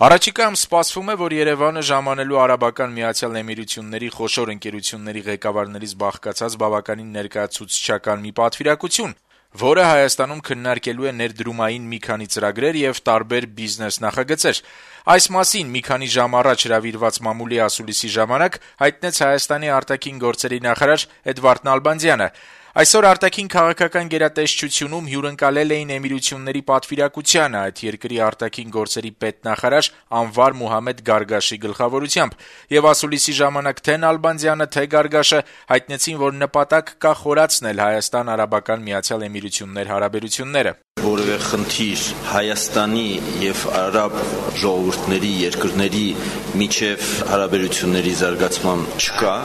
Առաջիկայում սպասվում է, որ Երևանը ժամանելու Արաբական Միացյալ Էմիրությունների խոշոր ընկերությունների ղեկավարներից բաղկացած բավականին ներկայացուցչական մի պատվիրակություն, որը Հայաստանում քննարկելու է ներդրումային մի քանի ծրագրեր եւ տարբեր բիզնես նախագծեր։ Այս մասին մի քանի ժամ առաջ հրավիրված մամուլի ասուլիսի ժամանակ հայտնեց Հայաստանի արտաքին գործերի նախարար Էդվարդ Նալբանդյանը։ Այսօր արտաքին քաղաքական գերատեսչությունում հյուրընկալել էին Էմիրությունների պատվիրակությանը այդ երկրի արտաքին գործերի պետնախարար Անվար Մուհամեդ Գարգաշի գլխավորությամբ, եւ ասուլիսի ժամանակ թե Նալբանդյանը, թե Գարգաշը հայտնեցին, որ նպատակ կա խորացնել Հայաստան-Արաբական Միացյալ Էմիրություններ հարաբերությունները։ Որևէ խնդիր Հայաստանի եւ արաբ ժողովուրդների երկրների միջև հարաբերությունների զարգացման չկա,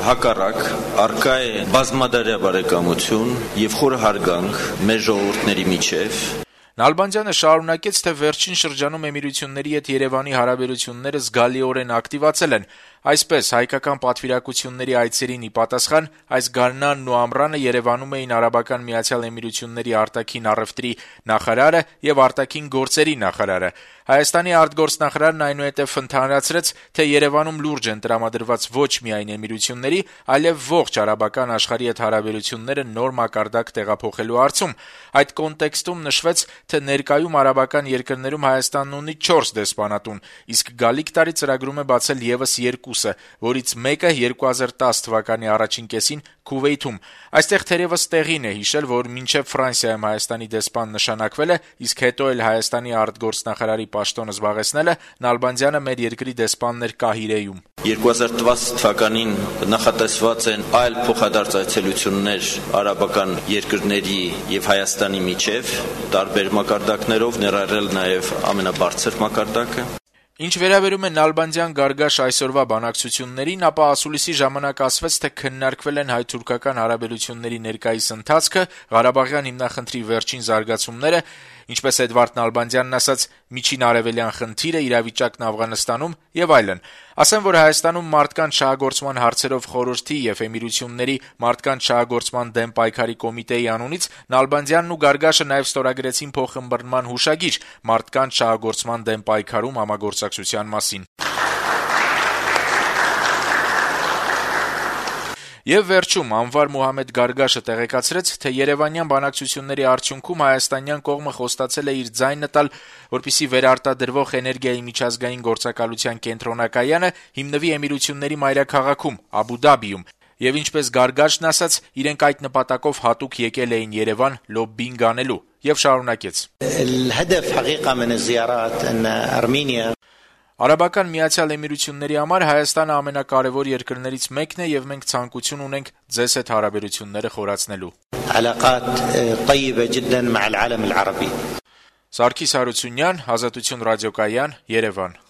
հակառակ առկա է բազմադարյա բարեկամություն եւ խորը հարգանք մեր ժողովուրդների միջև։ Նալբանդյանը շարունակեց, թե վերջին շրջանում Էմիրությունների հետ Երևանի հարաբերությունները զգալիորեն ակտիվացել են։ Այսպես, հայկական պատվիրակությունների այցերին ի պատասխան այս գարնանն ու ամռանը Երևանում էին Արաբական Միացյալ Էմիրությունների արտաքին առևտրի նախարարը եւ արտաքին գործերի նախարարը։ Հայաստանի արտգործնախարարն այնուհետև ընդհանրացրեց, թե Երևանում լուրջ են տրամադրված ոչ միայն Էմիրությունների, այլև ողջ արաբական աշխարհի հետ հարաբերությունները նոր մակարդակ տեղափոխելու հարցում։ Այդ կոնտեքստում նշվեց, թե ներկայում արաբական երկրներում Հայաստանն ունի 4 դեսպանատուն, իսկ գալիք տարի ծրագրում է բացել եւս 2-ը, որից մեկը 2010 թվականի առաջին կեսին Քուվեյթում։ Այստեղ թերևս տեղին է հիշել, որ մինչև Ֆրանսիայում Հայաստանի դեսպան նշանակվել է, իսկ հետո էլ Հայաստանի արտգործնախարարի պաշտոնը զբաղեցնելը Նալբանդյանը մեր երկրի դեսպանն էր Կահիրեում։ 2010 թվականին նախատեսված են այլ փոխադարձ այցելություններ արաբական երկրների եւ Հայաստանի միջև տարբեր մակարդակներով, ներառել նաեւ ամենաբարձր մակարդակը։ Ինչ վերաբերում է Նալբանդյան-Գարգաշ այսօրվա բանակցություններին, ապա ասուլիսի ժամանակ ասվեց, թե քննարկվել են հայ-թուրքական հարաբերությունների ներկայիս ընթացքը, Ղարաբաղյան հիմնախնդրի վերջին զարգացումները, ինչպես Էդվարդ Նալբանդյանն ասաց, միջին արևելյան խնդիրը, իրավիճակն Աֆղանստանում եւ այլն։ Ասեմ, որ Հայաստանում մարդկանց շահագործման հարցերով խորհրդի եւ Էմիրությունների մարդկանց շահագործման դեմ պայքարի կոմիտեի անունից Նալբանդյանն ու Գարգաշը նաեւ ստորագրեցին փոխըմբռնման հուշագիր մարդկանց շահագործման դեմ պայքարում համագործակցության մասին։ Եվ վերջում Անվար Մուհամեդ Գարգաշը տեղեկացրեց, թե երևանյան բանակցությունների արդյունքում հայաստանյան կողմը խոստացել է իր ձայնը տալ, որպեսզի վերարտադրվող էներգիայի միջազգային գործակալության կենտրոնակայանը հիմնվի Էմիրությունների մայրաքաղաքում Աբու Դաբիում։ Եվ ինչպես Գարգաշն ասաց, իրենք այդ նպատակով հատուկ եկել էին Երևան լոբբինգ անելու եւ շարունակեց. Արաբական Միացյալ Էմիրությունների համար Հայաստանը ամենակարևոր երկրներից մեկն է եւ մենք ցանկություն ունենք ձեզ հետ հարաբերությունները խորացնելու։ Սարգիս Հարությունյան, Ազատություն ռադիոկայան, Երևան։